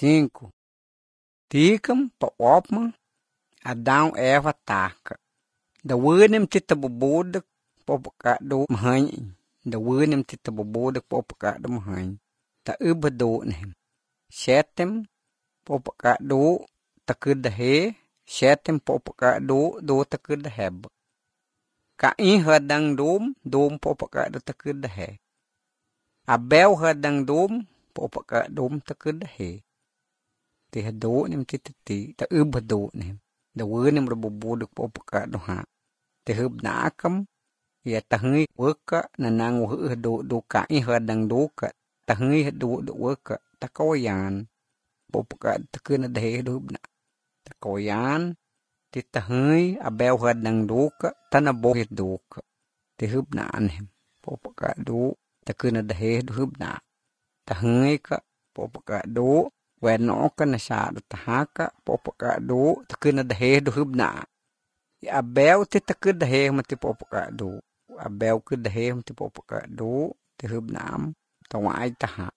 5. Tikam pa opma Adão Eva taca. Da winem tita bobodak popakado mahanyi. Da winem tita bobodak popakado mahanyi. Ta ubado nem. Setem popakado takudahe. Setem popakado do takudaheb. Kain hadang dom popakado takudahe. Abel hadang dom popakado takudahe. Tihado nem titati ta ubado nem. Da winem rabobodak popakado ha. Tihub nakam ya tahngi waka nanang wahdo do kain hadang doka. Tahngi do waka takawayan. Popakado takudadahe hubna. Takawayan titahngi abel hadang doka tanabohit doka. Tihub na nem. Popakado takudadahe hubna. Tahngi ka popakado wenoka nasado tahaka popakado takudadahe hubna. Abel titakudahe mati popakado. Abel kudahe mati popakado tihubna am tawai taha.